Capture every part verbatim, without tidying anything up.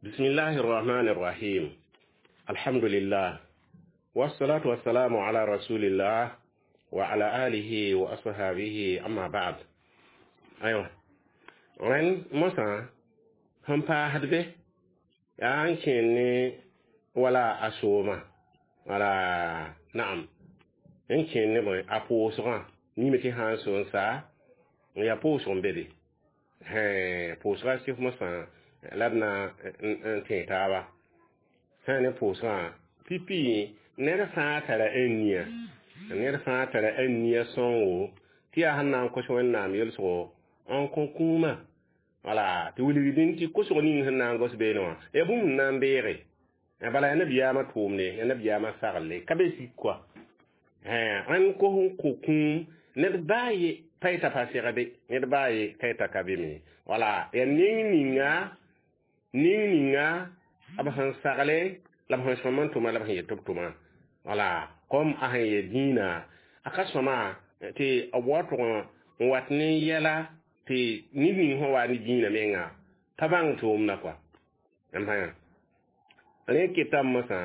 بسم الله الرحمن الرحيم الحمد لله والصلاة والسلام على رسول الله وعلى آله وأصحابه أما بعد أيوة rẽnd mosã sẽn paasd be yaa n kẽen ne wala a sooma wala naam n kẽen ne bõe a pʋʋsgã mime tɩ sã n so n saa n yaa pʋʋsg n be be pʋʋsga sɩf mosã la d na n tẽ taaba sã ne pʋʋsgã pipi ned fãa tara a nia ned fãa tara a nia sõngo tɩ yaa sẽn na n kos wẽnnaam yelsgo n kõ kũumã wala tɩ wilgdẽ tɩ kosg ning sẽn na n gos beene wã yaa bũmb n na n beege bala yaa nabiyaamã tʋʋmde yaa nabiyaamã saglle ka be sik koa rẽnd kos n kõ kũum ned baa ye pa yeta pa segde ned baa ye ka yeta ka be me wala yaa neng ninga ning ninga b sẽn sagle la b sẽn sõm n tʋma la b sẽn yet tɩ b tʋma wala kom a sẽn yɛ dĩinã a ka sõma tɩ b wa tʋg n wat ne yɛla tɩ ned ning sẽn wa ne dĩinã menga pa bãng tʋʋmda kɔa n bãnga rẽ ketame mosã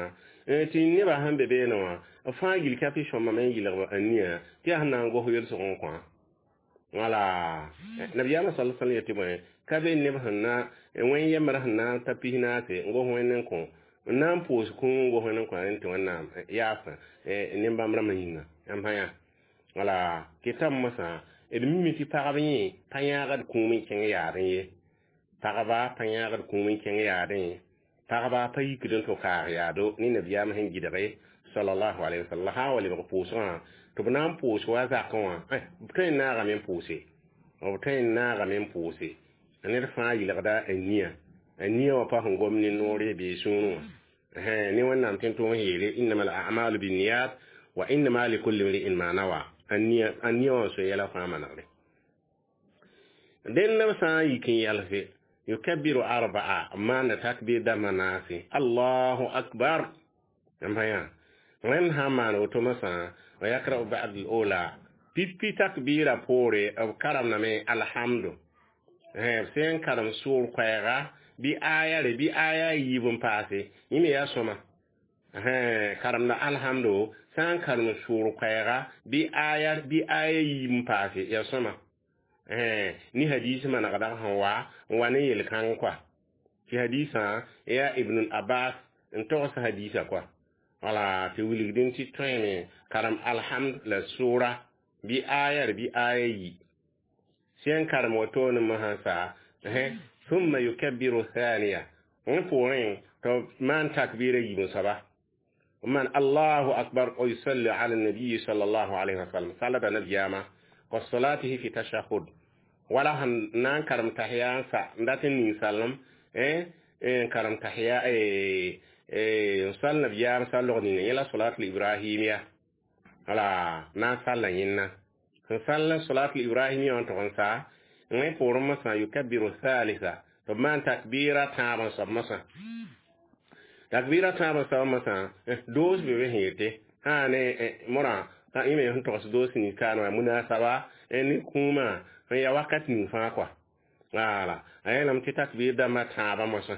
tɩ nebã sẽn be beene wã b fãa gil ka tɩ sõmame n yɩlg a nia tɩ yaa sẽn na n gos yelsg n kõ wala nabiyaamã sal sal yetɩ bõe ka be neb sẽn na wẽn yembr sẽn na n ta pis naase n gos wẽnd n kõ n na n pʋʋs kũum n gos wẽnd n kõ rẽnd tɩ wẽnnaam yaasã nin-bãmb rãmbã yĩnga n bãya wala ketame mosã d mime tɩ pagb yẽ pa yãagd kũum n kẽng yaadẽ ye pagba pa yãagd kũum n kẽng yaadẽ pagba pa yikd n tʋ kaag yaado ne nabiyaam sẽn gɩdge sallallahu alaihi wasallam sã n wa lebg pʋʋsgã tɩ b na n pʋʋs wa zakẽ wã b tõe n naagame n pʋʋse b tõe n naagame n pʋʋse ned fãa yɩlgda a nia a nia wã pa sẽn gom ne noore bee sũurẽ wã ne wẽnnaam tɩ n tʋg n yeele innama al a'malu binniyat wa innama likulli mri'in ma nawa a nia wã so yɛla fãa manegre dẽnd b sã n yik n yɛlse yukabbiru arba'a maanda takbir dãmbã naase allahu akbar n pa yã rẽnd sã n maan woto mosã wa yakra'u ba'd al-ula pipi takbira poore b karamdame alhamdu b sẽn karem sʋʋr koɛɛga bɩ aya re bɩ aya yiib n paase yẽ me yaa sõma karemda alhamdu sã n karem sʋʋr koɛɛga bɩ aya bɩ aya yiib n paase yaa sõma ni hadis manegda sẽn wa n wa ne yel-kãng kɔa tɩ hadisã yaa ibn abbas n togs hadisa kɔa wala tɩ wilgdẽ tɩ tõeme karem alhamd la sʋʋra bɩ aya r bɩ aya yi sẽn karem wotone mosã sa ثم يكبر الثانية wẽ poorẽ tɩ maan takbira yiib n soaba man allahu akbar ويصلي على النبي صلى الله عليه وسلم صلى نبياما وصلاته في تشهد wala sẽn na n karem tahiya n sa n dat n ning salem n karem tahiya n sal nabiyaam sal-log ninga yẽ la solatul ibrahimiya wala na n salla yẽnna sẽn sall solatul ibrahimiya wã n tʋg n sa wẽ poorẽ mosã yukabbiru thalitha tɩ b maan takbira tãab n soab mosã takbira tãab n soab mosã doos be be sẽn yete sã ne morã yẽ me sẽn togs doos ning kaan wã munasaba ne kũumã n ya wakat ning fãa kɔa wala a yeelame tɩ takbir dãmbã tãabã mosã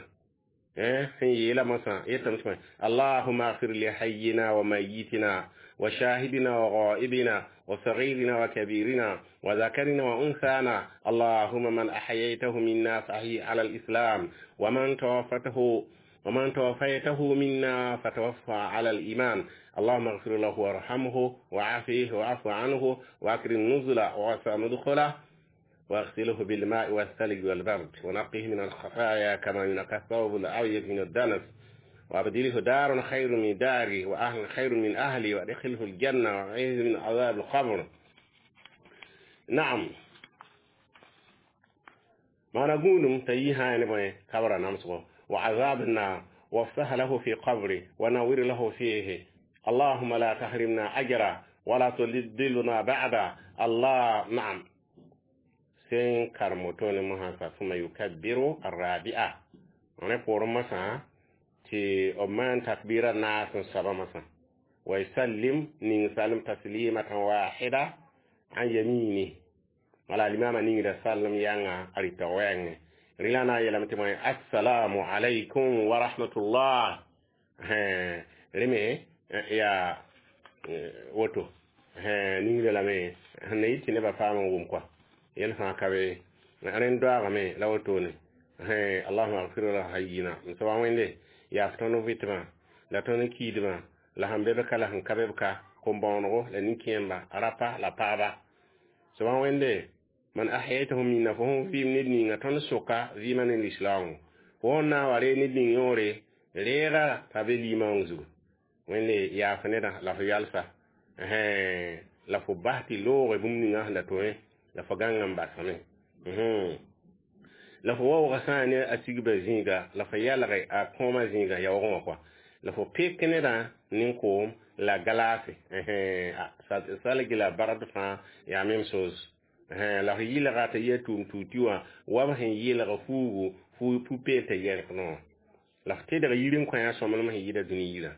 sẽn yeela mosã yetame tɩ allahuma agfir li hayyina wa mayitina wa shahidina wa ghaibina wa saghirina wa kabirina wa zakarina wa unsana allahuma man ahyaytahu minna fahyi ala alislam wa man tawaffatahu ومن توفيته منا فتوفى على الإيمان اللهم اغفر له وارحمه وعافيه واعف عنه وأكرم نزله ووسع مدخله واغسله بالماء والثلج والبرد ونقه من الخطايا كما ينقى الثوب الأبيض من الدنس وأبدله دار خير من داري وأهل خير من أهلي وأدخله الجنة وأعيذه من عذاب القبر نعم ما نقول تيها يعني كبر نمسه وعذاب النار وافتح له في قبره ونور له فيه اللهم لا تحرمنا أجرا ولا تضلنا بعد الله نعم sen karmoto ne mahasa ثم يكبر الرابعة wẽ poorẽ masã tɩ b maan takbira naas n soaba masã ويسلم ning salm taslimatan wahida an yamini wala limama ningda salm yãnga a rɩta wɛɛngẽ Rɩla na n yeelame tɩ bõe assalamu alaykum wa rahmatullah. Rẽ me yaa woto ningda lame sẽn na yɩ tɩ nebã paam n wʋm kɔa yɛl fãa ka be rẽnd doaagame la wotone. Allahuma agfir la hayyina n soaba wẽnde yaaf tõnd vɩtmã la tõnd kiidmã la sẽn be b ka la sẽn ka be b ka kom-bõonego la nin-kẽemba rapa la paaba soaba wẽnde man ahyaytahu minna fo sẽn vɩɩm ned ninga tõnd soka vɩɩmã ne lislaoongo fo sẽn na n wa ree ned ning yõore reega t'a be limaoong zugu wẽnde yaaf nedã la fo yalsa la fo bas tɩ looge bũmb ninga sẽn da tõe la fo gãnga n basame la fo waoogã sã n ne a sigba zĩiga la fo yalge a kõomã zĩiga yaoogẽ wã kɔa la fo pek nedã nin-koom la glace salgi la bard fãa yaa même chose la fo yɩlga t'a yɩ a tʋʋm tuuti wã wa b sẽn yɩlg fuugu pu-peel t'a yɛrk noor la fo tedg yir n kõ sõmblem sẽn yɩɩda dũni yirã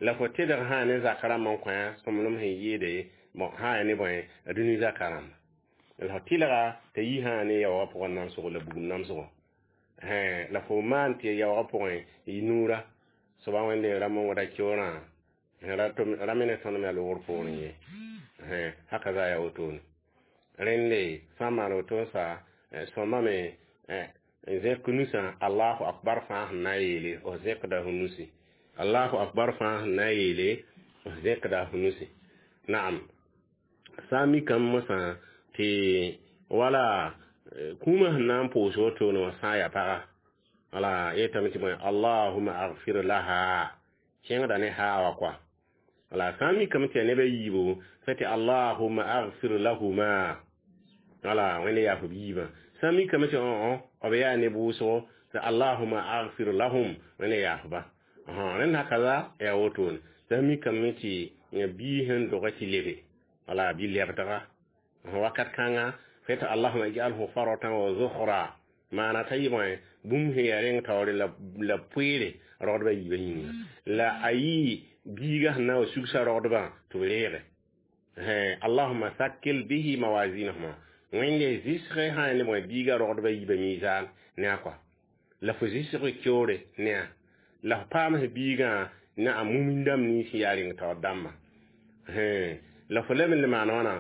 la fo tedg sã ne zak rãmb n kõ sõmblem sẽn yɩɩde bon sã ya ne bõe a dũni zaka rãmba la fo tɩlga t'a yi sã ne yaoogã pʋgẽ namsgo la bugum namsgo la fo maan tɩ yaoogã pʋgẽ y nuura soaba wẽnde rãmb n wada keoorã ra me ne tõnd me a loogr poorẽ ye haka za yaa wotone rẽnde sã n maan woto n sa sõma me n zẽk nusã allahu akbar fãa sẽn na n yeele f zẽkda f nusi allahu akbar fãa sẽn na n yeele f zẽkda f nusi naam sã n mikame mosã tɩ wala kũumã sẽn na n pʋʋs wotone wã sã n yaa paga wala yetame tɩ bõe allahuma agfir laha kẽngda ne haa wa kɔa wala sã n mikame tɩ yaa neb a yiibu fa tɩ allahuma agfir lahuma wala wẽnde yaa f b yiibã sã n mikame tɩ õ b yaa neb wʋsgo tɩ allahuma agfir lahum wẽnde yaafba rẽnd hakaza yaa wotone sã n mikame tɩ bii sẽn dogã tɩ lebe wala bɩ lebdga wakat kãnga fa tɩ allahuma ij'alhu faratan wa zukhra maana t'a yɩ bõe bũmb sẽn yaa reng taoore la poeere rogdbã yiibã yĩnga la a yɩ biiga sẽn na n wa sugsa rogdbã tɩ b reege allahuma sakil bihi mawazinahuma wẽnde zɩsg sã ne bõe biiga rogdbã yiibã miisaan ne a kɔa la fo zɩsg keoore ne a la f paam s biigã ne a mumin dãmb nins yaa reng taoor dãmbã la fo leb n le maan wãna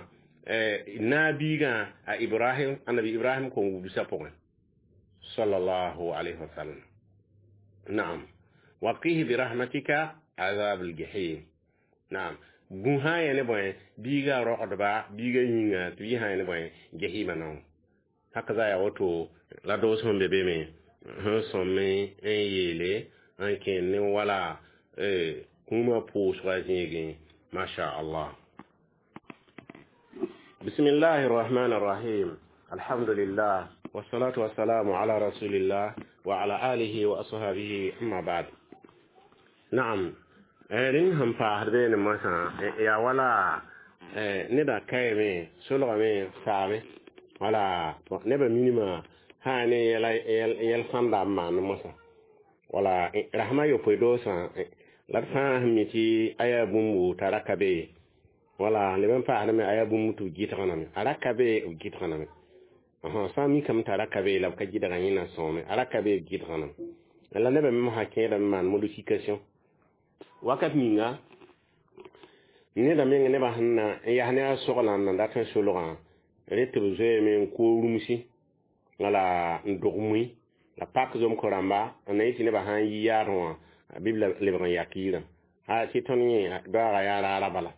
na biigã a ibrahim annabi ibrahim kõn wubsã pʋgẽ sallallahu alayhi wa sallam naam waqihi birahmatika azab aljahim naam bũ sã n yã ne bõe biigã rogdba biigã yĩnga tɩ b yɩ sã n yã ne bõe jahima naoo haka za yaa woto la doos sẽn be be me sẽn sõme n yeele n kẽen ne wala kũumã pʋʋsga zĩigẽ masha allah. بسم الله الرحمن الرحيم الحمد لله والصلاة والسلام على رسول الله وعلى آله وأصحابه أما بعد نعم rẽng sẽn paasd beene mosã yaa wala neda kaame solgame saame wala nebã minimã sã ne yɛl sãnda n maan mosã wala rasmã yopoe doosã la d fãa sẽn mi tɩ a yaa bũmbu t'a ra ka be wala leb n paasdame a yaa bũmb tɩ b gɩdgname a ra ka be b gɩdgname sã n mikame t'a ra ka be la b ka gɩdga yẽna sõome a ra ka be b gɩdgname la nebã me mosã kẽedame maan modification wakat ninga neda meng nebã sẽn na n yaa ne a soglã n na dat n solgã re tɩ b zoeeme n koog rũmsi wala n dog mui la pak zom-ko rãmba n na yɩ tɩ nebã sã n yi yaadẽ wã bɩ b lebg n yak yirã a tɩ tõnd yẽ doaagã yaa raara bala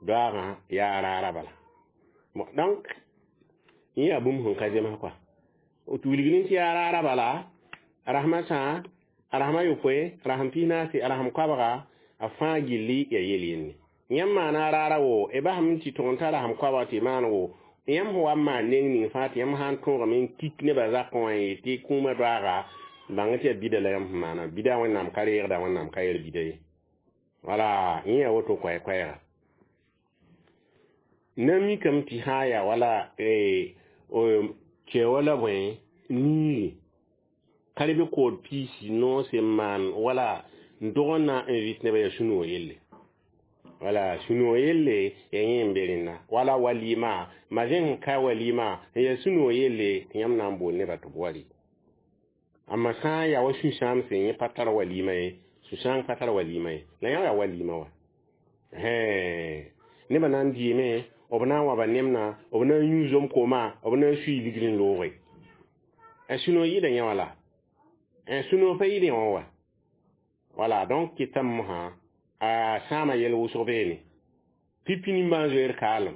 doaagã yaa raara bala bon donc yẽ yaa bũmb sẽn ka zems kɔa tɩ wilg ne tɩ yaa raara bala a rasmã sã a rasmã yopoe rasm pis naase a rasm koabga a fãa gilli ya yel yenne yãmb maana raara wo e basame tɩ tõg n ta rasm koabga tɩ maan wo yãmb sẽn wa n maan neng ning fãa tɩ yãmb sã n tõogame n kik nebã zakẽ wã n yeel tɩ kũumã doaaga bãng tɩ yaa bida la yãmb sẽn maana bida wẽnnaam ka reegda wẽnnaam ka yel bida ye wala yẽ yaa woto koɛɛ-koɛɛga na mikame tɩ sã n yaa wala kɛ wala bõe niiri ka reb kood piisi noose n maan wala n dog n na n vɩs nebã yaa sũ-noog yelle Wala sũ-noog yelle ya yẽ n be rẽnda wala walima ma zẽ sẽn ka walima n yaa sũ-noog yelle tɩ yãmb na n bool nebã tɩ b wa rɩ. Amma sã n yaa wa sũ-sãamse yẽ pa tar walima ye, sũ-sãang pa tar walima ye, la yã yaa walima wa. Nebã na n dɩɩme, b na n waba nemna, b na n yũ zom kooma, b na n sui ligd n looge. Sũ-noog yɩɩda yã wala. Sũ-noog pa yɩɩd yã wã wa. Wala donc kɩtame mosã a sãama yɛl wʋsg beene. Pipi nimbãan-zoeer kaalem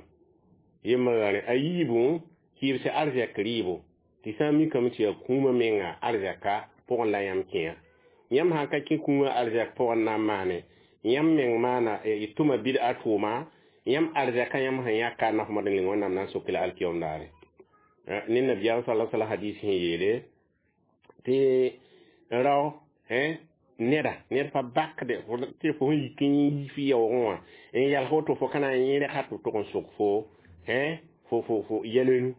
yembr a yiibu kɩɩbsã arzɛk rɩɩbo tɩ sã n mikame tɩ yaa kũumã menga arzɛka pʋgẽ la yãmb kẽa. Yãmb sã n ka kẽ kũumã arzɛk pʋgẽ n na n maane, yãmb meng maana y tʋma bɩd-a tʋʋma, yãmb arzɛka yãmb sẽn yãka n nafmd n ning Wẽnnaam na n sok la alkiyom daare. Ne nabiyaam sala sala hadis sẽn yeele tɩ rao neda ned pa bakde tɩ fo sẽn yik n yi fɩ yaoogẽ wã n yals woto fo ka na n yẽ rɛka tɩ tʋg n sok fo fo fo fo yɛl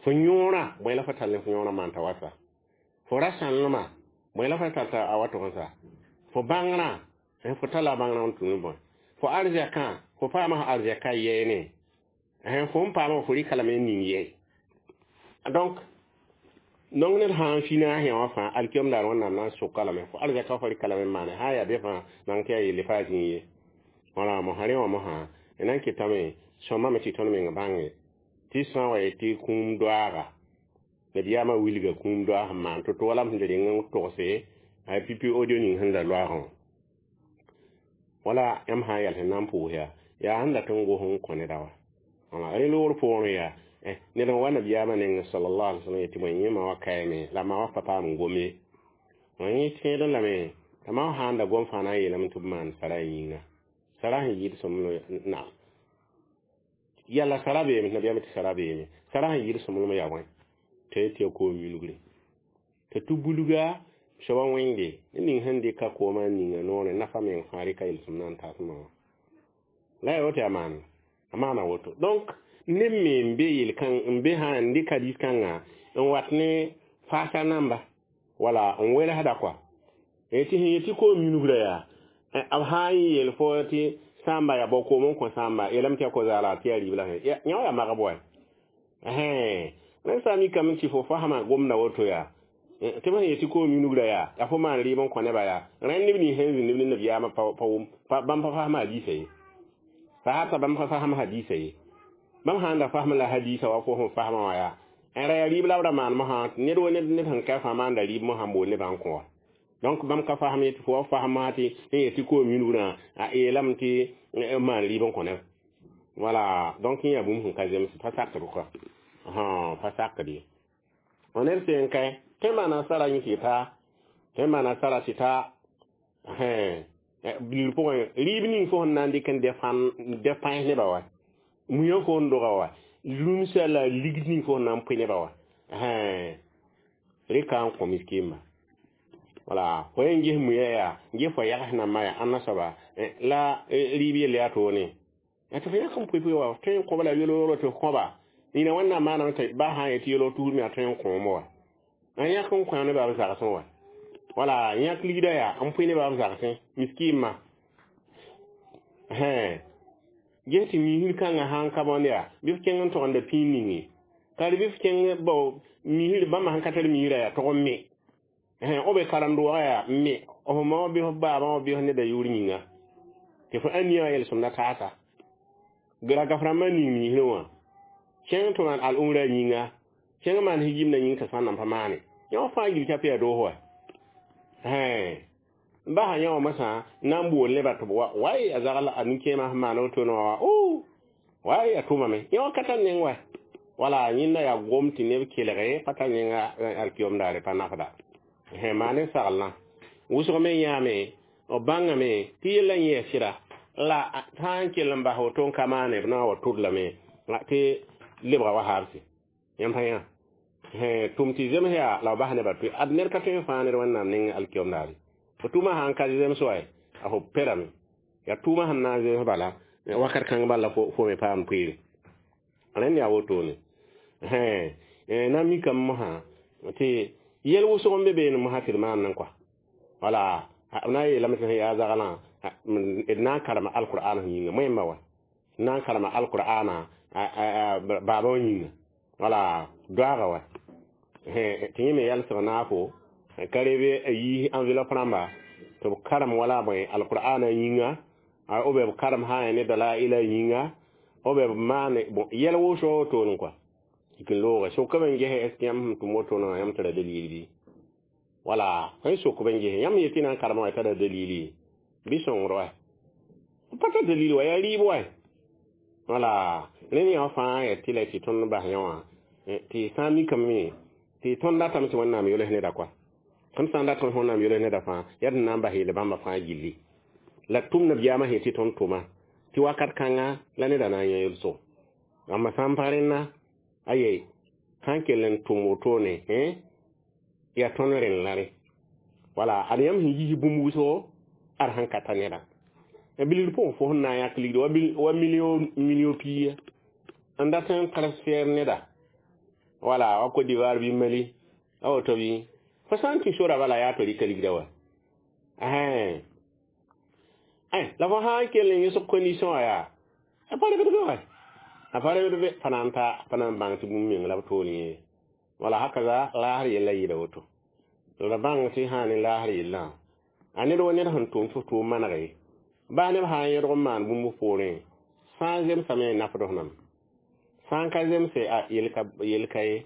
fo yõorã bõe la fo tall ne fo yõorã maan t'a wa sa, fo ra sãnlemã bõe la fo tall t'a wa tʋg n sa, fo bãngrã fo talla bãngrã n tũ ne bõe, fo arzɛkã fo paama arzɛka yɛɛne, fo n paama fo rɩka lame n ning yɛ. Donc nong ned sã n fina a wã fãa alkiyom daar Wẽnnaam na n soka lame fo arzɛka fo rɩka lame n maane sã n yaa be fãa nan tɩ yaa yelle pa zĩig ye. Wala mosã rẽ wã mosã d na n kɩtame sõmame tɩ tõnd meng bãnge tɩ sã n wa yetɩ kũum doaaga nabiyaamã wilga kũum doaag sẽn maan to-to wala m sẽn da reng n togse a pipi audio ning sẽn da loaagẽ wã. Wala yãmb sã n yals n na n pʋʋs yaa yaa sẽn dat n gos n kõ neda wa. Wala rẽ loogr poorẽ yaa ned n wa nabiyaamã neng sallallahu alaihi wasallam yetɩ bõe yẽ ma wa kaame la ma wa pa paam n gom ye. Yẽ tẽedẽ lame t'a ma sã n da gom fãa na n yeelame tɩ b maan sara a yĩnga. Sara sẽn yɩɩd sõmblem na yalla sara beeme, nabiyaamã tɩ sara beeme. Sara sẽn yɩɩd sõmblem yaa wãn t'a yet tɩ yaa koom yulgre. T'a tɩ bulga soaba wẽnde ned ning sẽn dɩka koomã n ninga noorẽ nafa meng fãa rɩka yel-sõmd na n tasmã wã. La yaa woto yaa maana, a maana woto. Donc neb me n be yel-kãng n be sã n dɩk hadis kãngã n wat ne faasa namba wala n welsda kɔa. Tɩ sẽn yet tɩ koom yulgrã yaa b sã n yeel fo tɩ sãamba yaa bao koom n kõ sãamba yeelame tɩ yaa ko-zaala tɩ yaa rɩɩb la yã wã yaa magb wa. Rẽn sã n mikame tɩ fo fasma gomda woto yaa tɩ b sẽn yet tɩ koom yulgrã yaa yaa fo maan rɩɩb n kõ nebã yaa rẽnd neb nins sẽn zĩnd ne nabiyaamã pa wʋm bãmb pa fasma hadiisa ye. Sahaba bãmb pa fasm hadiisa ye. Bãmb sã n da fasm la hadiisa wa fo sẽn fasmã wã yaa n ra yaa rɩɩb la b ra maan mosã ned wa ned sẽn ka fãa maanda rɩɩb mosã n bool nebã n kõ wa. Donc bãmb ka fasm ye tɩ fo wa fasma tɩ sẽn yet tɩ koom yulgrã a yeelame tɩ maan rɩɩb n kõ neb. Wala donc yẽ yaa bũmb sẽn ka zems pa sakd kɔa. Pa sakd ye. Ned sẽn kae tõe n maana sara yẽ tɩ taa, tõe n maana sara tɩ taa bilg pʋgẽ rɩɩb ning fo sẽn na n dɩk n dɛ pãens nebã wa, muyã fo n doga wa, rũmsa la ligd ning fo sẽn na n pʋɩ nebã wa. Rɩka n kõ miskiimã. Wala fo yẽ ges muyã yaa ges fo yags nambã yaa ãnna soaba la rɩɩb yell yaa toone. Tɩ fo yãk n pʋɩ pʋɩ wa tõe n kõba la yel-wogro tɩ f kõba. Nina Wẽnnaam maaname tɩ ba sã n yetɩ yel-wog tusr me yaa tõe n kõom wa. N yãk n kõ nebã b zagsẽ wa. Wala yãk ligda yaa n pʋɩ nebã b zagsẽ miskiimã. Ges tɩ miisr kãngã sã n ka bõnd yaa bɩ f kẽng n togenda pĩig ninge. Ka bɩ f kẽng bao miisr bãmba sẽn ka tar miisrã yaa tog n me. B be karen-doogã yaa n me f ma wã bɩ f baabã wã bɩ f neda yʋʋr yĩnga. Tɩ fo ãniyã wã yel-sõmda taasa. Ragaf rãmbã ning miisrẽ wã kẽng tɩ maan al-umrã yĩnga, kẽng maan higimdã yĩng t'a sã n nan pa maane. Yã wã fãa yil t'a pa yaa doos wa. Basa yã wã mosã na n bool nebã tɩ b wa way a zagl a nin-kẽemã sẽn maan wotone wã wa o way a tʋmame. Yã wã ka tar neng wa. Wala yẽnda yaa gom tɩ neb kelge pa tar nenga alkiyom daare pa nafda. Maan ne saglã wʋsg me yãame b bãngame tɩ yellã yɛɛ sɩda la sã n kell n bas woto n ka maane b na n wa tʋd lame tɩ lebga wa habse. Yãmb pa yã tʋm tɩ zems yaa la b bas nebã tɩ ad ned ka tõe n fãag ned Wẽnnaam neng alkiyom daare. Fo tʋʋmã sã n ka zems wa a fo perame. Yaa tʋʋmã sẽn na n zems bala wakat kãng bala fo me paam poeere. Rẽnd yaa wotone. Na n mikame mosã tɩ yɛl wʋsg n be beene mosã tɩ d maan n kɔa. Wala b na n yeelame tɩ sẽn yaa zaglã d na n karema alqur'an yĩnga moẽmba wa na n karema alqur'ana baaba wã yĩnga wala doaga wa tɩ yẽ me yalsg naafo ka rebe a yiis enveloppe rãmba tɩ b karem wala bõe alqur'ana yĩnga ou bien b karem sã ne dalaila yĩnga ou bien b maane bon yɛl wʋsg wotone kɔa yik n looge sokame n ges est ce que yãmb sẽn tʋm wotone wã yãmb tara dalil bɩ wala sẽn sok b n ges yãmb yetɩ na n karema wã tara dalili bɩ sõngr wa pa tar dalil wa yaa rɩɩb wa wala rẽnd yã fãa yaa tɩ la tɩ tõnd bas yã wã tɩ sã n mikame tɩ tõnd datame tɩ Wẽnnaam yols neda kɔa tõnd sã n datame Wẽnnaam yols neda fãa yaa d na n bas yeel bãmba fãa gilli la tʋm nabiyaamã sẽn tɩ tõnd tʋma tɩ wakat kãnga la neda na n yã yelso ãmba sã n pa rẽnna aye sã n kell n tʋm wotone yaa tõnd rẽnd la rẽ wala ad yãmb sẽn yis bũmb wʋsgo ad sẽn ka ta neda bilgr pʋgẽ fo sẽn na n yãk ligd wa million million pia n dat n transfert neda wala wa Côte d'Ivoire bɩ Mali a woto bɩ fo sã n tĩ sora bala yaa tɩ rɩka ligda wa la fo sã n kell n yõsg condition wã yaa a pa rɩgd be wa a pa rɩgd be pa na n ta pa na n bãng tɩ bũmb meng la b tool yẽ wala hakaza laasr yella yɩɩda woto la bãng tɩ sã ne laasr yellã a ned wa ned sẽn tʋm tɩ f tʋʋm manege baa neb sã n yẽdg n maan bũmb poorẽ sã n zemsame n nafd f nam sã n ka zemse a yel ka ye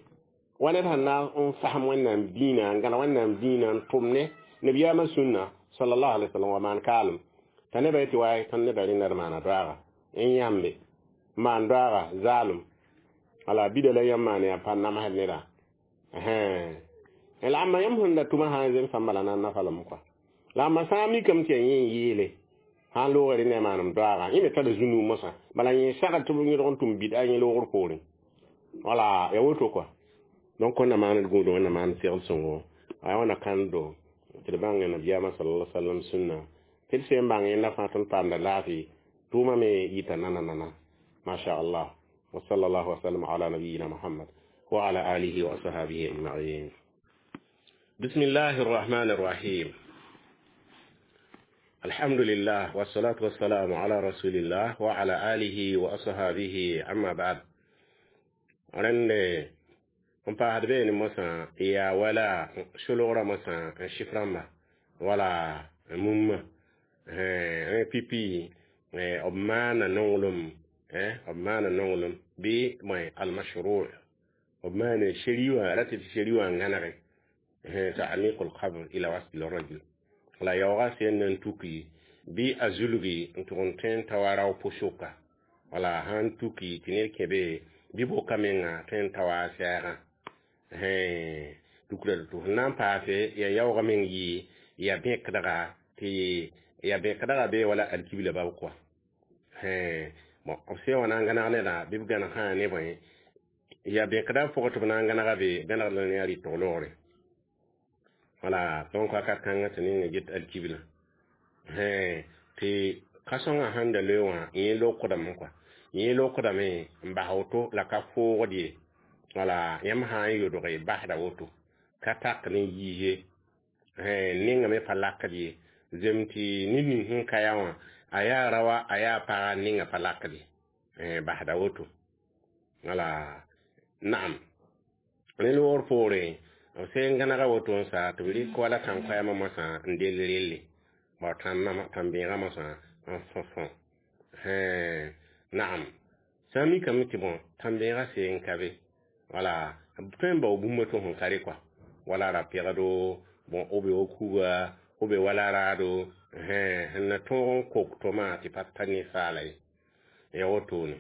wa ned sẽn na n fasem Wẽnnaam dĩinã n gãneg Wẽnnaam dĩinã n tʋm ne nabiyaamã sũnna sallallahu alaihi wasallam wa maan kaalem t'a nebã yetɩ wa tõnd neda rẽnda d maana doaaga n yãmbe maan doaaga zaalem wala bida la yãmb maan yaa pa namsd neda la ãmba yãmb sẽn da tʋma sã n zemsã bala na n nafa lame kɔa la ãmba sã n mikame tɩ yaa yẽ n yeele sã n loogre ne maanem doaaga yẽ me tara zũnug mosã bala yẽ sagd tɩ b yẽdg n tʋm bɩda yẽ loogr poorẽ wala ya woto kɔa donc wẽnna maand gũud wẽnna maand segl sõngo aya wãna kãndo tɩ d bãng nabiyaamã sallallahu alaihi wasallam sũnna tɩ d sẽn bãng yẽnda fãa tõnd paamda laafɩ tʋʋmã me yita nana nana ما شاء الله وصلى الله وسلم على نبينا محمد وعلى آله وصحبه أجمعين بسم الله الرحمن الرحيم الحمد لله والصلاة والسلام على رسول الله وعلى آله وأصحابه أما بعد rẽnd n paasd beene mosã yaa wala solgrã mosã n sɩf rãmba wala mumma rẽ pipi b maana nonglem b maana nonglem bɩ almashru b maana sheri wã ra tɩ tɩ sheri wã n gãnege تعميق القبر إلى وصل الرجل la yaooga sẽn na n tuki bɩ a zulgi n tʋg n tõe n ta wa rao pʋsʋka wala sãn tuki tɩ ned kẽ be bɩ boka menga tõe n ta wa a sɛɛgã tukra tɩ f na n paase ya yaooga meng yɩ ya bẽkdga tɩ ya bẽkdga be wala alkibla bab kɔa bon b sẽn wã na n gãneg neda bɩ b gãneg sã ne bõe ya bẽkda pʋgẽ tɩ b na n gãnega be gãnegd la ne a rɩtg loogre wala donc wakat kãngã tɩ ninga get alkibla tɩ ka-sõngã sẽn da loe wã yẽ lokdame kɔa yẽ lokdame n bas woto la ka foogd ye wala yãmb sã n yodge basda woto ka tak ne yiis ye nengame pa lakd ye zem tɩ ned ning sẽn ka yaa wã a yaa rawa a yaa paga ninga pa lakd ye basda woto wala naam rẽ loogr poore b sẽn gãnega woto n sa tɩ b rɩk wala tãn-koɛɛmã mosã n dell relle bao tãn-bẽegã mosã n fõ-fõ naam sã n mikame tɩ bõ tãn-bẽegã seen ka be wala b tõe n bao bũmb tɩ sẽn ka re kɔa wala ra-pegdo bon b be wa kuga b be wala raado sẽn na tõog n kok tʋma tɩ pa ta ninsaala ye ya wotone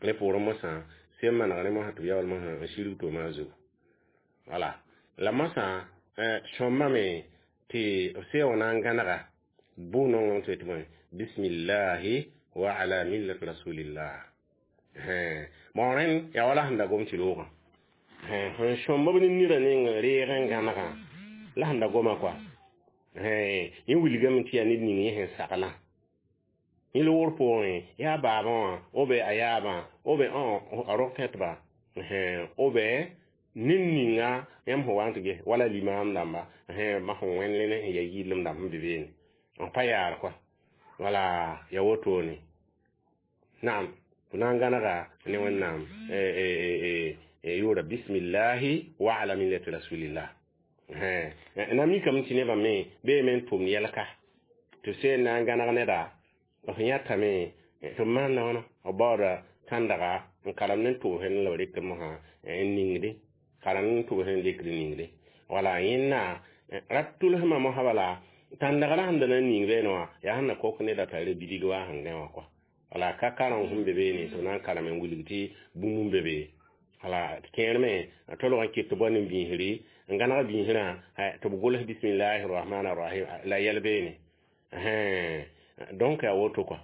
rẽ poorẽ mosã sẽn maneg rẽ mosã tɩ b yaool mosã n sirg tʋʋmã zugu wala la mosã sõmbame tɩ b sẽn wã na n gãnega bʋ nongẽ tɩ tɩ bõe bismillahi wa ala millati rasulillah bon rẽnd yaa wala sẽn da gom tɩ loogã sẽn sõmb b ne nirã ning reeg n gãnegã la sẽn da goma kɔa yẽ wilgame tɩ yaa ned ning yẽ sẽn saglã yẽ loogr pʋgẽ yaa baabã wã o be a yaabã o be a rog tẽtba o be ned ninga yãmb sẽn wa n tɩ ges wala limaam dãmba ma sẽn wẽnd ne sẽn ya yɩɩlem dãmb sẽn be beene N pa yaar kɔa. Wala ya wotone. Naam, fo na n gãnega ne Wẽnnaam yʋʋra bismillahi wa ala millati rasulillah. Na mikame tɩ nebã me beeme n tʋmd yɛlka tɩ seen na n gãneg neda f yãtame tɩ b maanda wãna b baooda tãndaga n karemd n tʋbsd la b rɩkd mosã n ningde karemd n tʋbsd n rɩkd ningde. Wala yẽnda ra tʋlsmã mosã bala tãndagrã sẽn da na n ning beene wã yaa sẽn na kok neda t'a re bidig wa sẽn gã wã kɔa. Wala ka kareng sẽn be beene tɩ b na n karem n wilg tɩ bũmb n be be. Wala kẽer me tolg n kɩt tɩ bao ne biisri n gãneg biisrã tɩ b gʋls bismillahi rahmani rahim la yɛl beene. Donc yaa woto kɔa.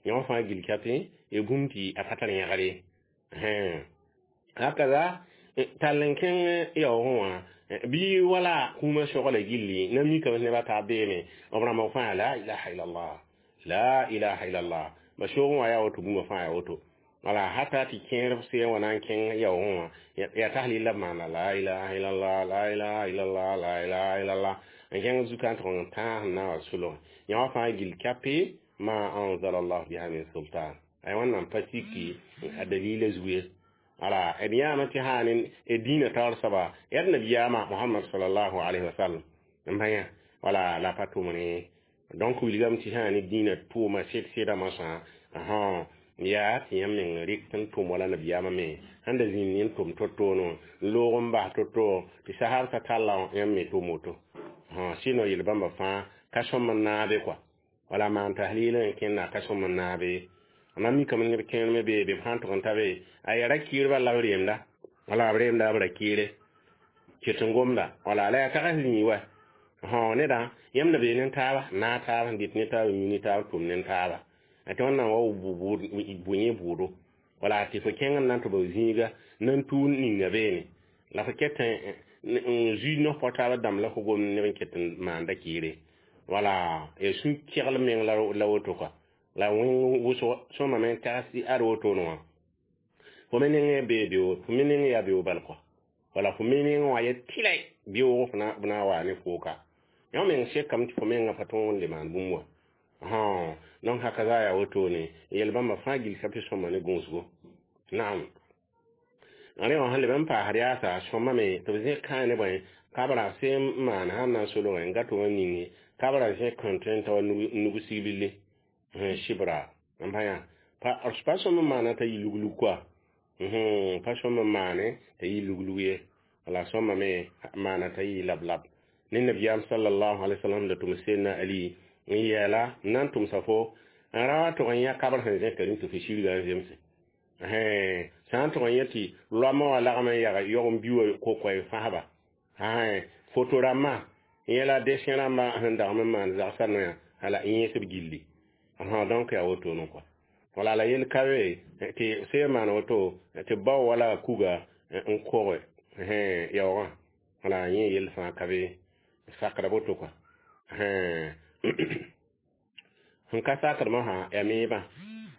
Yõ fãa gil kape ya bũmb tɩ a pa tar yãgr ye. Hakaza tall n kẽng yaoogẽ wã bɩ wala kũumã sogla gilli na mikame nebã t'a beeme b rãmb fãa la ilaha illallah la ilaha illallah ba soogẽ wã yaa woto bũmba fãa yaa woto. Wala hata tɩ kẽer seen wã na n kẽng yaoogẽ wã yaa tahlil la b maana la ilaha illallah la ilaha illallah la ilaha illallah n kẽng zuka n tʋg n tãas n na wa solg yõ fãa gil kape ma anzala allah biha min sultan ay wẽnnaam pa siki a dalila zugu ye. Wala d yãame tɩ sã ne dĩinã taoor soaba yaa d nabiyaamã Mohamad salallahu alayhi wa sallam n pa yã. Wala la pa tʋmne. Donc wilgame tɩ sã ne dĩinã tʋʋma sɩd sɩda mosã yaa tɩ yãmb meng rɩk n tʋm wala nabiyaamã me sẽn da zĩnd n tʋm to-to-no n loog n bas to-to tɩ sahab talla yãmb me tʋm woto. Sɩno yel bãmba fãa ka sõm n naabe kɔa. Wala maan tahlil n kẽnda ka sõm n naabe. Na mikame neb kẽer me bee be b sãn tʋg n ta be a yaa ra kiirba la b reemda wala b reemda b ra kiire ket n gomda wala la yaa tags zĩig wa neda yãmb na bee ne taaba naag taaba n dɩt ne taaba yũ ne taaba tʋm ne taaba tɩ wẽnnaam wa bʋ yẽ bʋʋdo. Wala tɩ fo kẽng n na n tɩ b zĩiga nan tuun ninga beene la fo ket n zui no-pɔ taaba dãmb la fo gomd neb n ket n maanda kiire. Wala ya sũ-kegl meng la woto kɔa. La wẽng wʋsg sõma me n tags tɩ ad wotone wã fo me nengẽ bee beoog fo me nengẽ yaa beoog bal kɔa. Wala fo me nengẽ wã ya tɩlɛ beoog b na n waa ne fooka yõ meng sekame tɩ fo mengã pa tõog n le maan bũmb wã. Donc hakaza yaa wotone yel bãmba fãa gil ka tɩ sõma ne gũusgo. Naam, rẽ wã sẽn leb n paasd yaasa sõma me tɩ b zẽk kãa ne bõe kabra sẽn n maan sãn na n solgẽ n gat wã ninge kabra zẽk sẽn tõe n ta wa nug sigbille sɩbra n pa yã pa sõm n maana t'a yɩ luglug kɔa pa sõm n maane t'a yɩ luglug ye. Wala sõma me maana t'a yɩ lab-lab ne nabiyaam sallallahu alaihi wasallam da tʋm Seydna Ali n yɛɛla n na n tʋmsa fo n ra wa tʋg n yã kabr sẽn zẽka rĩm tɩ fo sirga n zemse sã n tʋg n yẽ tɩ loamã wã lagm n yag yog n bi wa ko-koɛɛ fãsba foto rãmbã yẽla dessin rãmbã sẽn dagm n maan zagsã noyã hala n yẽsb gilli. Donc yaa wotone kɔa. Wala la yel ka be tɩ sẽn maan woto tɩ bao wala kuga n koge yaoogã wala yẽ yel fãa ka be sakra woto kɔa. Sẽn ka sakd mosã yaa meebã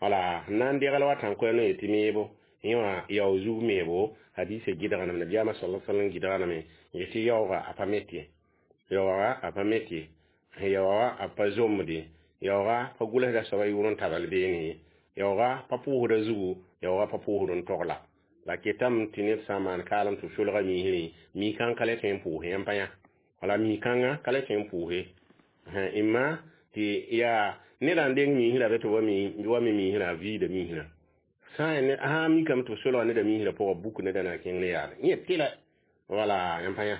wala n na n degl wa tãn-koɛɛg n yetɩ meebo yẽ wã yao zug meebo hadisa gɩdgname nabiyaamã sala sallam gɩdgname yetɩ yaooga a pa met ye yaooga a pa met ye yaooga a pa zomde yaooga pa gʋlsda soaba yʋʋr n tabal beene ye yaooga pa pʋʋsda zugu yaooga pa pʋʋsd n togla la ketame tɩ ned sã n maan kaalem tɩ b solga miisrẽ mi-kãng ka le tõe n pʋʋse yãmb pa yã wala mi-kãngã ka le tõe n pʋʋse imma tɩ yaa ned n deng miisrã be tɩ wa me miisrã a viida miisrã sã n sã n mikame tɩ b solga neda miisrã pʋgã buk neda na kẽng ne yaale yẽ tɩlɛ wala yãmb pa yã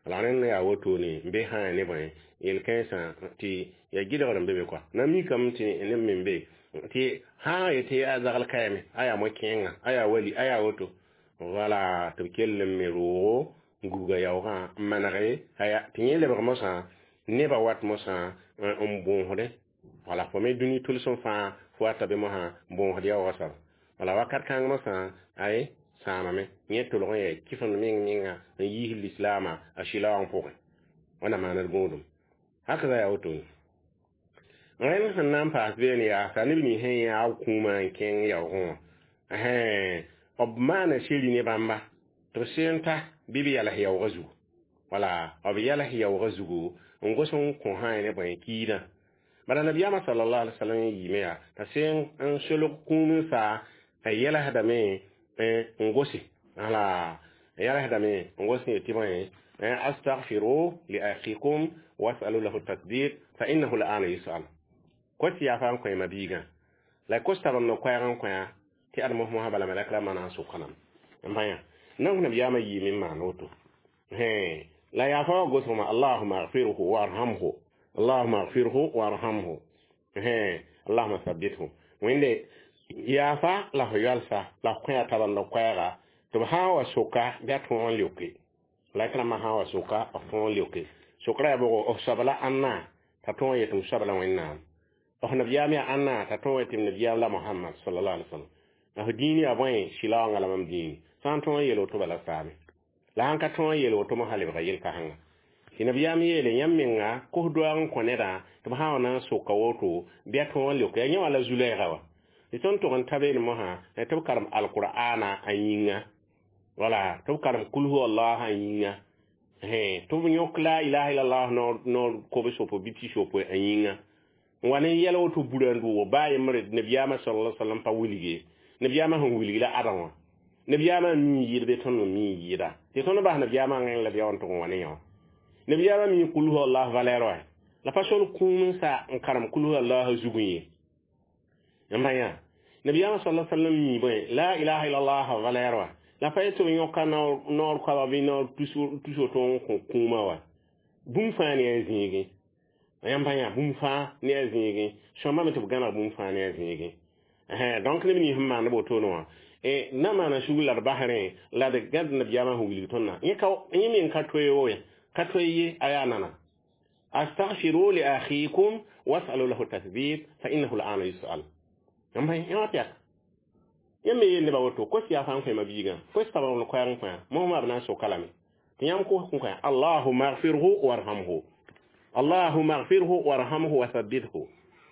la rẽnd yaa wotone n be sã ne bõe yel-kãensã tɩ ya gɩdgr n be be kɔa na mikame tɩ neb me be tɩ sã n yetɩ yaa zagl kaame a yaa mo-kẽengã a yaa wali a yaa woto wala tɩ b kell n me roogo n gubga yaoogã n manege tɩ yẽ lebg mosã nebã wat mosã n bõosdẽ wala fo me dũni tʋlsem fãa fo wata be mosã n bõosd yaoogã soaba wala wakat kãng mosã ay sãamame yẽ tʋlg n yaa kɩfend meng menga n yiis lislaamã a sɩlaoong pʋgẽ wãna maana d gõodum hakaza yaa wotone rẽnd sẽn na n paas beene yaasa neb nins sẽn yãag kũumã n kẽng yaoogẽ wã b maana seri ne bãmba tɩ b seen ta bɩ b yals yaoogã zugu wala b yals yaoogã zugu n gos n kõ sã ne bõe kiidã Bala nabiyaamã sallallahu alaihi wasallam yiime yaa t'a sẽn n solg kũum n sa a yɛlsdame n gose ala yɛlsdame n gos yetɩ bõe astaghfiru li akhikum wasalu lahu tasbit fa innahu al'ana yus'al kos yaa fa n kõ ma biigã la kos tab n no koɛɛg n kõ tɩ ad mos mosã bala malɛk rãmbã na n soka lame n pa yã nan nabiyaamã yiime n maan woto la yaa fa wa gosgmã allahuma agfirhu warhamhu allahuma agfirhu warhamhu allahuma sabithu wẽnde yaafa la fo yalsa la f kõ a tab n no koɛɛga tɩ b sã n wa soka bɩ a tõog n leoke la rãmbã sã n wa soka b tõog n leoke sokra yaa bʋgo f soabla ãnna t'a tõog n yet m soabla wẽnnaam f nabiyaam yaa ãnna t'a tõog yetɩ m nabiyaam la Muhammad sallallahu alaihi wasallam la f dĩin yaa bõe sɩlaoongã la mam dĩini sã n tõog n yel woto bala saame la sãn ka tõog n yel woto mosã lebga yel-kãsengã tɩ nabiyaam yeele yãmb menga kos doaag n kõ nedã tɩ b sã wa na n soka woto bɩ a tõog n leoke yaa yẽ wã la zu-lɛɛga wa tɩ tõnd tʋg n ta beene mosã tɩ b karem alqur'ana a yĩnga wala tɩ b karem kul huwa allah a yĩnga tɩ b yõk la ilaha illallah noor kobs wopo bɩ pis wopo a yĩnga n wa ne yɛl woto burã n dʋʋg baa yembre nabiyaamã sallallahu alaihi wasallam pa wilge nabiyaamã sẽn wilg la adã wã nabiyaamã mi yɩɩd bɩ tõnd me mi yɩɩda tɩ tõnd bas nabiyaamã rẽng la bɩa n tʋg n wa ne yã wã nabiyaamã mi kul huwa allah valeur wa la pa sol kũum n sa n karem kul huwa allah zugẽ ye n pa yã nabiyaamã sallallahu alaihi wasallam mi bõe la ilaha illallah valeur wa la pa yetɩ b yõka noor koaba bɩ noor tus woto n kõ kũumã wa bũmb fãa ne a zĩigẽ yãmb pa yã bũmb fãa ne a zĩigẽ sõmbame tɩ b gãneg bũmb fãa ne a zĩigẽ donc neb nins sẽn maand wotone wã na maana sugr la d basrẽ la d gãd nabiyaamã sẽn wilg tõndã yẽ yẽ meng ka toe ye ka toe ye a yaa nana astaghfiru li akhikum wasalu lahu tathbit fa innahu al'ana yus'al yãmb yã wa pɛk yãmb me yeel nebã woto kos yaa fãa n kõ ma biigã kos tab n koɛɛg n kõ mosmã b na n soka lame tɩ yãmb kos kõ kõ allahuma agfirhu warhamhu allahuma agfirhu warhamhu wa thabbithu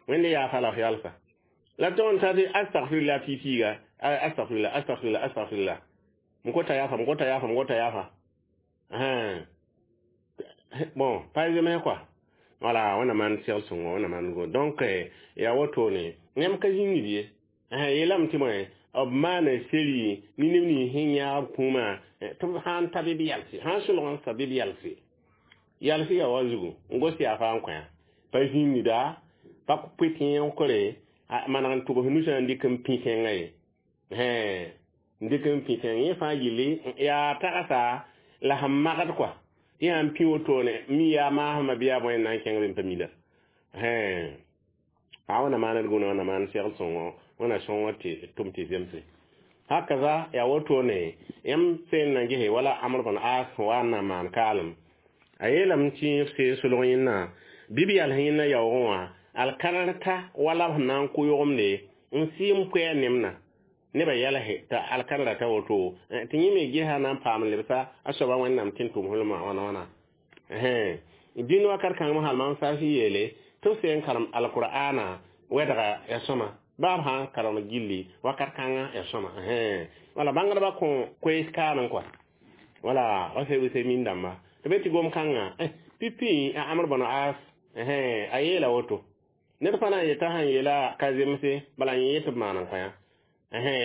wẽnde yaa fa la f yalsa la tõnd t'a tɩ astaghfirullah piipiiga astaghfirullah astaghfirullah astaghfirullah m kota yaafa m kota yaafa m kota yaafa bon pa zemse quoi wala wẽnna maan segl sõngo wẽnna maan go donc yaa wotone yãmb ka zĩngd ye yeelame tɩ bõe b maana seri ne neb nins sẽn yãag b kũumã tɩ b sã n ta bɩ b yalse sã n solg n sa bɩ b yalse yalse yaa wa zugu n gos yaa fãa n kõ pa zĩngda pa pʋ tẽegre maneg n tʋbs nusã n dɩk n pĩ tẽngã ye n dɩk n pĩ tẽng yẽ fãa yelle yaa tagsa la sẽn magd kɔa tɩ sãn pĩ wotone mi yaa maasmã bɩ yaa bõe n na n kẽng be n pa mila a wẽnna maan d gũna wẽnna maan segl sõngo wẽnna sõngo tɩ tʋm tɩ zemse hakaza yaa wotone yãmb sẽn na gese wala Amr bn As wa n na maan kaalem a yeelame tɩ f seen solg yẽnna bɩ b yals yẽnna yaoogẽ wã alkarta wala b sẽn na n kʋ yʋgemde n sɩɩm koɛɛ nemna nebã yɛlse t'a alkarra ta woto tɩ yẽ me gesa na n paam lebsa a soaba wẽnnaam tɩ n tʋm hulmã wãna wãna dĩn wakat kãng hal mam saasɩ yeele tɩ b sẽn karem alqur'ana wɛdga ya sõma baa b sã n karem gilli wakat kãngã ya sõma wala bãngdbã kõ koees kaanẽ kɔa wala wa se wise min dãmba tɩ be tɩ gom kãngã pipi a Amr bn As a yeela woto ned pa na n yeta sãn yeela ka zemse bala yẽ yet b maan n kõ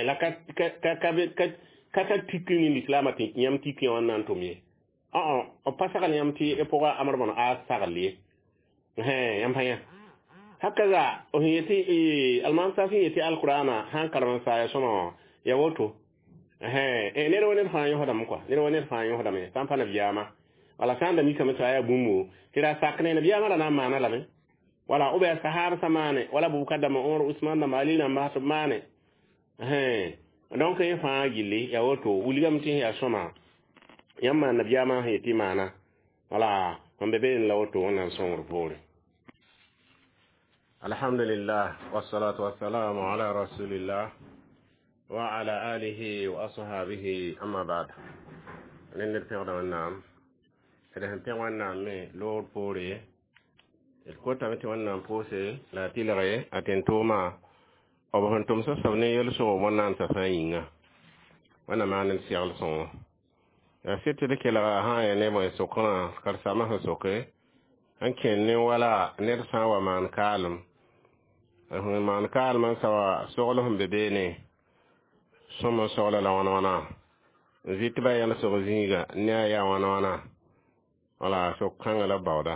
la ka ka ka ka tik ne lislaamã tɩ yãmb tik yã wã na n tʋm ye b pa sagl yãmb tɩ y pʋga Amr bn As sagl ye yãmb pa yã hakaza sẽn yetɩ almaam sa sẽn yetɩ alqur'ana sãn karem n saa ya sõma wã ya woto ned wa ned fãa yõsdame kɔa ned wa ned fãa yõsdame sã n pa nabiyaamã wala sã n da mikame tɩ a yaa bũmbo tɩ ra sak ne nabiyaamã ra na n maana lame wala ou bien sahaba sa maane wala Bubakar dãmba Umar Usman dãmba Ali dãmba tɩ b maane donc yẽ fãa gilli ya woto wilgame tɩ yaa sõma yãmb maan nabiyaamã sẽn yetɩ maana wala sẽn be beene la woto wẽnnaam sõngr poore alhamdulillah wassalatu wassalamu ala rasulillah wa ala alihi wa ashabihi amma ba'd ned pẽgda wẽnnaam d sẽn pẽg wẽnnaam me loogr poore d kotame tɩ wẽnnaam pʋʋse la a tɩlge a tẽn-toomã b sẽn tʋm soab ne yel-sõg wẽnnaam t'a fãa yĩnga wẽnnaam maan d segl sõngo yaa sɩd tɩ d kelga sã n yaa ne bõe sokã karen-saambã sẽn soke N kẽnd ne wala ned sã n wa maan kaalem, sẽn maan kaalem n sa wa sogl sẽn be beene sõm n sogla la wãna wãna n zɩ tɩ ba yãlsg zĩiga ne a yaa wãna wãna wala sok kãngã la baooda.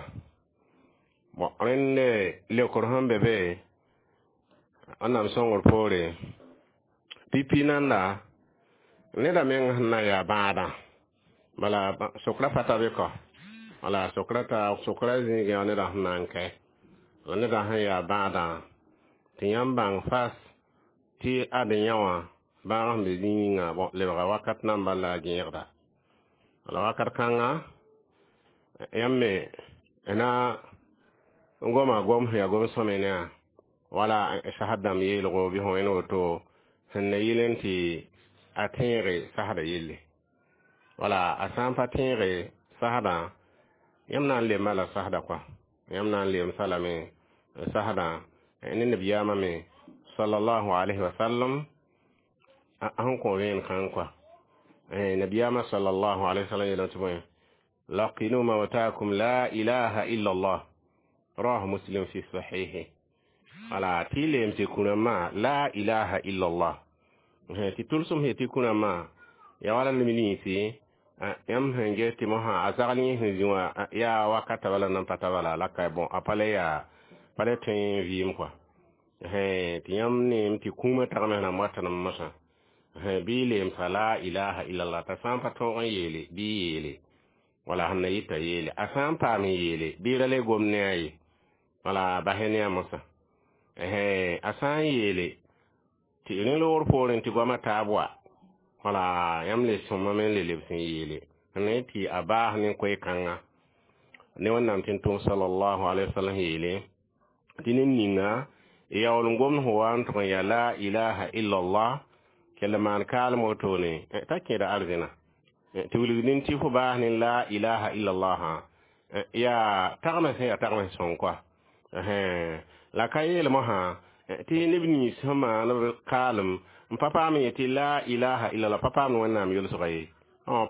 Bon, rẽnd leokr sẽn be be Wẽnnaam sõngr poore pipi nanda neda meng sẽn na n yaa bãadã bala sokra pa ta be kɔ wala sokra ta sokra zĩigẽ yaa neda sẽn na n kɛ la neda sẽn yaa bãadã tɩ yãmb bãng fas tɩ ad yã wã bãag sẽn be zĩig ninga bon lebga wakat nan bal la a gẽegda la wakat kãnga yãmb me na n goma gom sẽn yaa gom sõme ne wala sasd dãmb yeelgo bɩ fõ wẽnd woto sẽn na yɩl n tɩ a tẽege sasda yelle wala a sã n pa tẽege sasdã yãmb na n lemba la sasda kɔa yãmb na n lemsa lame sasdã ne nabiyaamã me sallallahu alaihi wasallam sẽn kõ vẽen kãng kɔa nabiyaamã sallallahu alaihi wasallam yeelame tɩ bõe laqinu mautakum la ilaha illa allah rawahu muslim fi sahihi wala tɩ y leem tɩ kũrãmã la ilaha illa allah tɩ tʋlsem sẽn tɩ kũrãmã ya wala neb ninsi yãmb sẽn ges tɩ mosã a zagl yẽ sẽn zĩ wã yaa wakata bala nan pa ta bala la ka bon a pa le yaa pa le tõe n vɩɩm kɔa tɩ yãmb neem tɩ kũumã tagme sẽn watnem mosã bɩ y leemsa la ilaha illallah t'a sã n pa tõog n yeele bɩ y yeele wala sẽn na yɩta yeele a sã n paam n yeele bɩ ra le gom ne a ye wala basɛ ne a mosã a sã n yeele tɩ rẽ loogr poorẽ tɩ goamã taab wa wala yãmb le sõmame n le lebs n yeele ne tɩ a baas ne koe-kãnga ne Wẽnnaam tɩ n tʋm sallallahu alaihi wasallam yeele tɩ ned ninga yaool n gomd sẽn wa n tʋg n yaa la ilaha illallah kell maan kaalem wotone t'a kẽeda arzẽna tɩ wilg nin tɩ fo baas ne la ilaha illallah yaa tagmã sẽn yaa tagmã sõng koa la ka yeel mosã tɩ neb nins sẽn maan b kaalem n pa paam yetɩ la ilaha illallah pa paamd Wẽnnaam yʋlsga ye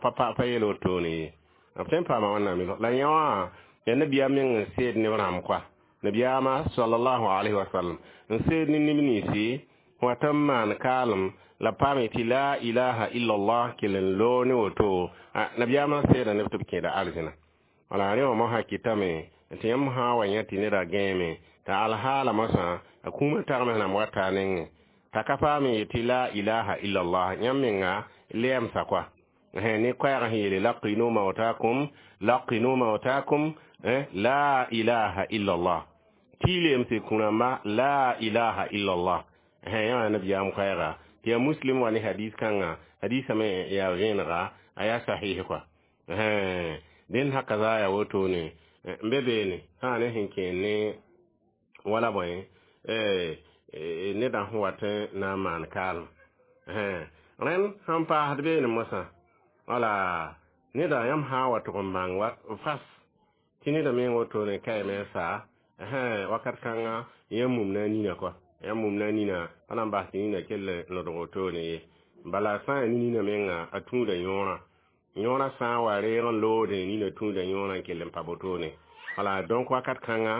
pa pa yeel wotone ye b tõe n paama Wẽnnaam yʋlsg la yã wã yaa nabiyaam meng n seed neb rãmb koa nabiyaamã sallallahu alaihi wasallam n seed ne neb ninsi wa tɩ n maan kaalem la paam yetɩ la ilaha illallah kell n loog ne woto nabiyaamã seeda neb tɩ b kẽeda arzẽna wala rẽ wã mosã kɩtame tɩ yãmb sã n wa yã tɩ neda gãeme t'a alhaala mosã a kũumã tagme sẽn na wata a nengẽ t'a ka paam n yetɩ la ilaha illallah yãmb menga lɛɛmsa koa ne koɛɛg sẽn yeele laqinu mautakum laqinu mautakum la ilaha illallah tɩ y leemse kũ-rãmba la ilaha illallah yã nabiyaam koɛɛga tɩ yaa muslim wa ne hadis kãnga hadisã me yaa vẽenega a yaa sahih koa dẽnd haka zaa yaa wotone n be beene sã ne sẽn kẽen ne wala bõe nedã sẽn wat n na n maan kaalem rẽnd sẽn paasd beene mosã wala neda yãmb sã n wa tʋg n bãng wa fas tɩ neda meng wotone kaame n sa wakat kãnga yãmb mum na a nina kɔa yãmb mum na a nina pa na n bas tɩ nina kell n lodg wotone ye bala sã n yaa ne nina menga a tũuda yõorã yõorã sã n wa reeg n loodẽ nina tũuda yõorã n kell n pa wotone wala donc wakat kãnga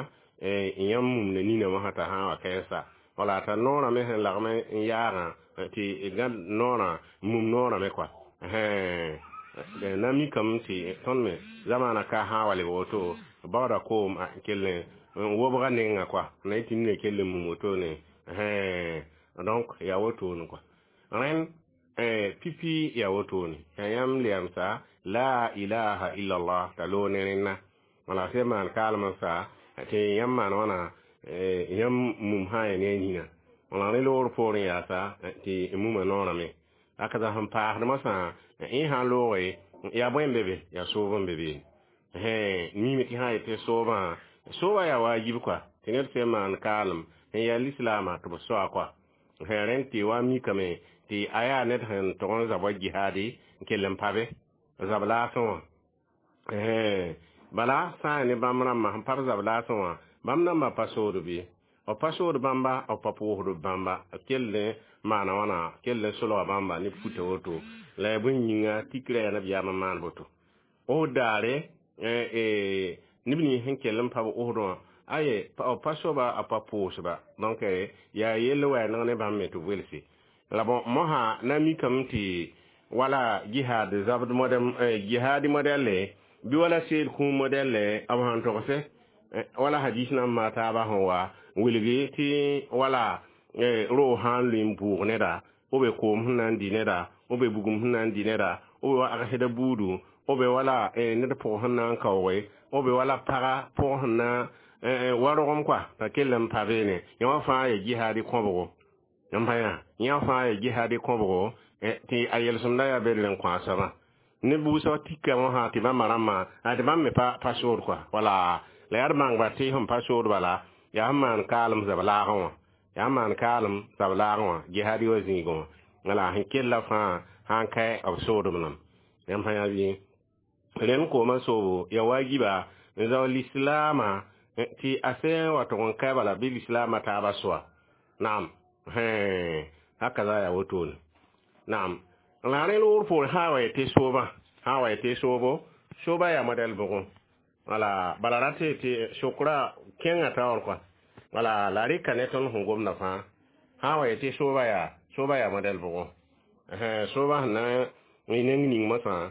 yãmb mumda nina mosã t'a sã n wa kɛɛsa wala t'a noorã me sẽn lagm n yaagã tɩ gãd noorã mum noorã me kɔa na mikame tɩ tõnd me zamaana ka sã n wa lebg woto baooda koom kell n wobga nengã kɔa na yetɩ nina kell n mum wotone donc yaa wotone kɔa rẽnd pipi yaa wotone yaa yãmb lɛɛmsa la ilaha illallah t'a loog ne rẽnna wala sẽn maan kaalem n sa tɩ yãmb maan wãna yãmb mum sã n yaa ne a nina wala rẽ loogr poorẽ yaasa tɩ muma noorame aka sẽn paasd mosã yẽ sã n looge yaa bõe n be be yaa soob n be be mime tɩ sã n yetɩ soobã soobã yaa waajib kɔa tɩ ned sẽn maan kaalem n yaa lislaamã tɩ b soa kɔa rẽnd tɩ wa mikame tɩ a yaa ned sẽn tʋg n zab wa jihaadi n kell n pa be zab laasẽ wã bala sã n yaa ne bãmb rãmbã sẽn pa b zab laasẽ wã bãmb namba pa sood bɩ b pa sood bãmba b pa pʋʋsd bãmba b kell n maana wãna kell n solga bãmba ne puta woto la yaa bõe yĩnga tikra yaa nabiyaamã maan boto o daare Neb nins sẽn kell n pa b Osd wã, aye, b pa soaba a pa pʋʋsba. Donc yaa yell wa yaa neg ne bãmb me tɩ b welse la. Bon, mosã na mikame tɩ wala jihad zabd modem, jihadi modɛlle bɩ wala seel kũum modɛlle, b sãn togsɛ wala hadis nan maa taabã sẽn wa wilgi tɩ wala roog sã n lʋɩ n bʋʋg neda, b be koom sẽn na n dɩ neda, b be bugum sẽn na n dɩ neda, b be wa agsda buudu, b be wala ned pʋg sẽn na n kaooge, b be wala paga pʋg sẽn na wa rogem kɔa t'a kell n pa beene. Yẽ wã fãa ya jihadi kõbgo n pa yã, yẽ fãa ya jihadi kõbgo tɩ a yelsẽmda yaa bel n kõ a soabã. Neb wʋsg tika wã tɩ bãmba rãmbã tɩ bãmb me pa pa sood kɔa. Wala la yaa d bãngba tɩ sẽn pa sood bala yaa sẽn maan kaalem zab laagẽ wã, yaa sẽn maan kaalem zab laagẽ wã jihadi wã zĩigẽ wã. Wala sẽn kella fãa sãn ka b soodem nam yãmb sã yaa bɩ rẽnd koomã soobo ya wajiba n zao lislaamã tɩ a sẽn wa tʋg n ka bala bɩ lislaamã taabã soa. Naam, haka za yaa wotone. Naam, la rẽ loogr poore sã wa tɩ soobã, sã wa tɩ soobo, sooba yaa modɛl bʋgẽ. Wala bala ra tɩ tɩ sokra kẽngã taoor kɔa. Wala la rɩka ne tõnd sẽn gomda fãa, sã wa tɩ sooba yaa sooba yaa modɛl bʋgẽ, sooba sẽn na n neng ning mosã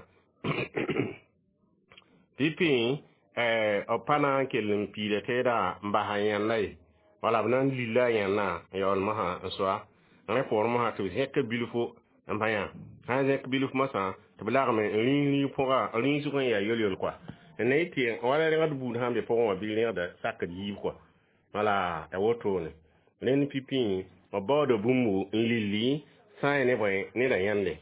pipi b pa na n kell n piida teedã n basa yẽnda ye, wala b na n lilla a yẽnda n yaool mosã n soa. Rẽ poor mosã tɩ b zẽk bilfo n pa yã, sã n zẽk bilf mosã tɩ b lagme n rĩig rĩig pʋga, rĩig sʋk n yaa yol-yol kɔa n na yɩ tɩ wala rẽgd buud sãn be pʋgẽ wã bɩ rẽgda sakd yiib kɔa. Wala a wotone rẽnd pipi b baooda bũmbu n lilli sã n ya ne bõe neda yãnde.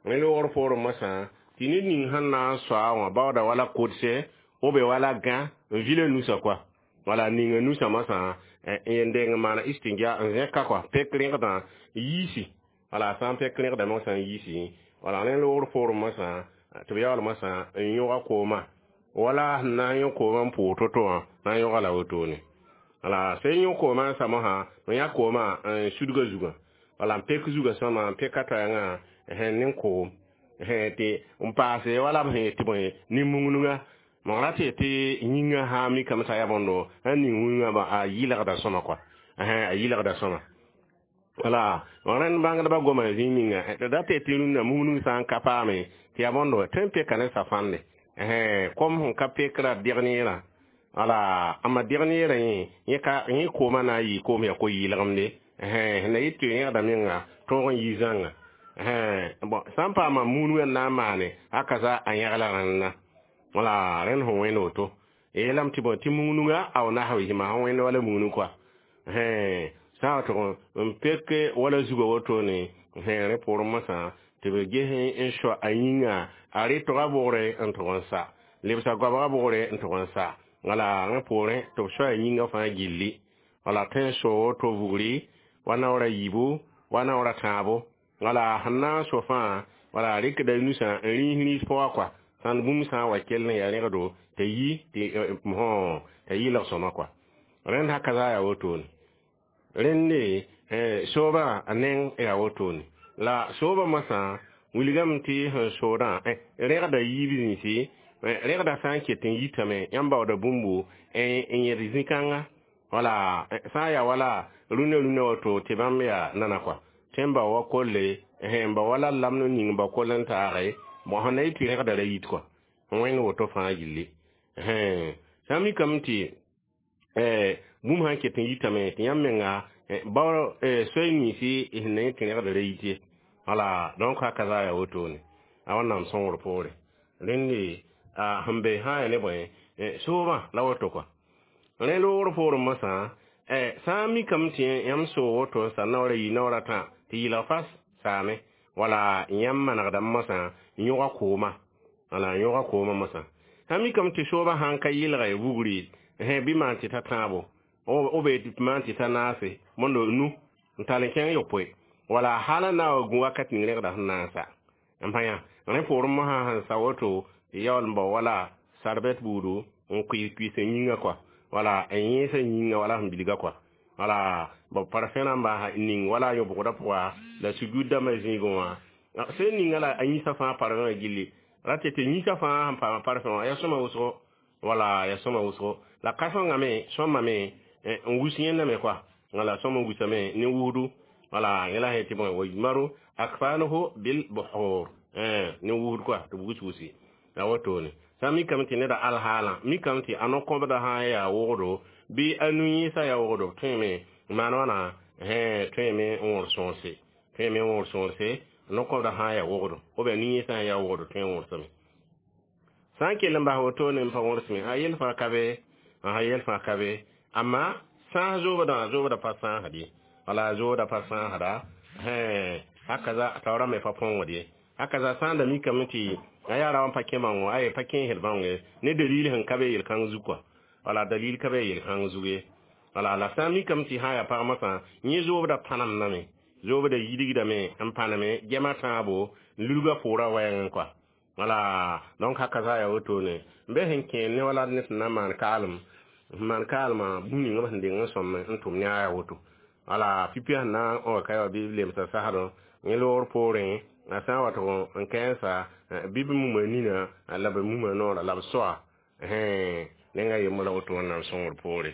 Rẽ loogr poorẽ mosã tɩ ned ning sẽn na n soa wã baooda wala kodse b be wala gã n vila nusã kɔa. Wala ninga nusã mosã n deng n maana istinja n zẽka kɔa, pek rẽgdã yiisi. Wala sã n pek rẽgda mosã n yiisi. Wala rẽ loogr poorẽ mosã tɩ b yaool mosã n yõga koomã, wala sẽn na n yõ koomã n pʋʋg to-to wã na n yõga la wotone. Wala sẽn yõ koomã n sa mosã n yã koomã n sudga zugã, wala n pek zugã sõma n peka toɛɛngã ne koom tɩ n paase wala b sẽn tɩ bõe nin-mungnga mam ra tɩ tɩ yĩngã sã n mikame t'a yaa bõndo sẽn ning wĩngã a yɩlgda sõma kɔa, a yɩlgda sõma. Wala rẽnd bãngdbã goma zĩig ninga tɩ da tɩ tɩ rũnnã mungnug sã n ka paame tɩ yaa bõndo tõe n peka ne safãnde kom sẽn ka pekra deg neerã. Wala amma deg neerã yẽ yẽ ka yẽ koomã na n yɩ koom yaa ko-yɩlgemde sẽn na yɩ tɩ yẽgda menga tõog n yi zãnga. Bon, sã n paama munugã n na n maane haka za a yẽgla rẽnna. Wala rẽnd sẽn wẽnd woto yeelame tɩ bõe tɩ munugã a nasbismã sẽn wẽnd wala munug kɔa sã n wa tʋg n pek wala zugã wotone. Rẽ poorẽ mosã tɩ b ges n soa a yĩnga a rɩtgã bʋgre n tʋg n sa lebsa goabgã bʋgre n tʋg n sa. Wala rẽ poorẽ tɩ b soa a yĩngã fãa gilli. Wala tõe n soo woto vugri wa naoora yiibu wa naoora tãabo. Wala sẽn na n so fãa, wala a rɩkda nusã n rĩis rĩis pʋgã kɔa sãn bũmb sã n wa kell n yaa rẽgdo t'a yi tɩ t'a yɩlg sõma kɔa. Rẽnd haka za yaa wotone. Rẽnde soobã a neng yaa wotone. La soobã mosã wilgame tɩ sẽn soodã rẽgda yiib zĩisi, rẽgda sã n ket n yitame yãmb baooda bũmbu n yẽd zĩ-kãnga. Wala sã n yaa wala rũnã rũnã woto tɩ bãmb yaa nana kɔa tɩ n bao wa kolle n bao wala lamd ning bao koll n taage. Bon, sẽn na yɩ tɩ rẽgda ra yit kɔa wẽnd woto fãa gilli. Sã n mikame tɩ bũmb sãn ket n yitame tɩ yãmb menga bao soay ninsi sẽn na yẽ tɩ rẽgda ra yit ye. Wala donc haka za yaa wotone a wẽnnaam sõngr poore. Rẽnde sẽn be sã n yaa ne bõe soobã la woto kɔa. Rẽ loogr poorẽ mosã sã n mikame tɩ yãmb soog woto n sa naoora yi naoora tã tɩ yɩlg fas saame. Wala yãmb manegdame mosã n yõga koomã, wala n yõga koomã mosã. Sã n mikame tɩ soobã sãn ka yɩlge vugri bɩ maan tɩ ta tãabo b be maan tɩ ta naase mondo nu n tall n kẽng yopoe, wala hala na wa gũ wakat ning rẽgda sẽn na n sa n pa yã. Rẽ poorẽ mosã sẽn sa woto tɩ yaool n bao wala sarbɛt buudu n kuɩs kuɩs n yĩngã kɔa, wala n yẽesa yĩngã wala sẽn bilga kɔa. Wala b parfẽ rãmba ning wala a yõbgdã pʋga la sugud dãmbã zĩigẽ wã sẽn ninga la a yĩsã fãa parfẽ wã gilli ra tɩ tɩ yĩsã fãa sẽn paam parfẽ wã yaa sõma wʋsgo. Wala ya sõma wʋsgo la ka-sõngame sõmame n wus yẽndame koa. Wala sõm n wusame ne wusdu. Wala yẽla sẽn tɩ bõe ويجمر أكفانه بالبخور ne wusd koa tɩ b wus wusi la wotone. Sã n mikame tɩ neda alhaalã mikame tɩ a no-kõbdã sã n yaa wogdo bɩ a nu-yẽesã yaa wogdo, b tõeme n maan wãna, tõeme n wõr sõorse, tõeme n wõr sõorse. No-kõbdã sã n yaa wogdo ou bien nu-yẽesã sã n yaa wogdo, tõe n wõrsame. Sã n kell n bas wotone n pa wõrsme, a yel fãa ka be, a yel fãa ka be. Amma sãas zoobdã, zoobdã pa sãasd ye. Wala zoobdã pa sãasda. Haka taoorã me pa põngd ye. Haka sã n da mikame tɩ a yaa ra n pa kẽ bãngo, ay pa kẽesd bãong ye ne dalil sẽn ka be yel-kãng zug kɔa. Wala dalil ka be yel-kãng zug ye. Wala la sã n mikame tɩ sã n yaa pag masã yẽ zoobda pãnemdame, zoobda yidgdame n pãneme gema tãabo n lulga pʋʋrã wɛɛngẽ kɔa. Wala donc haka sã yaa wotone n be sẽn kẽer ne wala ned sẽn na n maan kaalem, sẽn maan kaalmã, bũmb ninga b sẽn deng n sõm n tʋm ne a yaa woto. Wala pipi sẽn na n wa ka ya bɩ b lemsa sasdẽ yẽ loogr poorẽ, a sã n wa tɩ n kẽensa bɩ b muma nina la b muma noora la b soa. Nengã yembr la woto Wẽnnaam sõngr poore.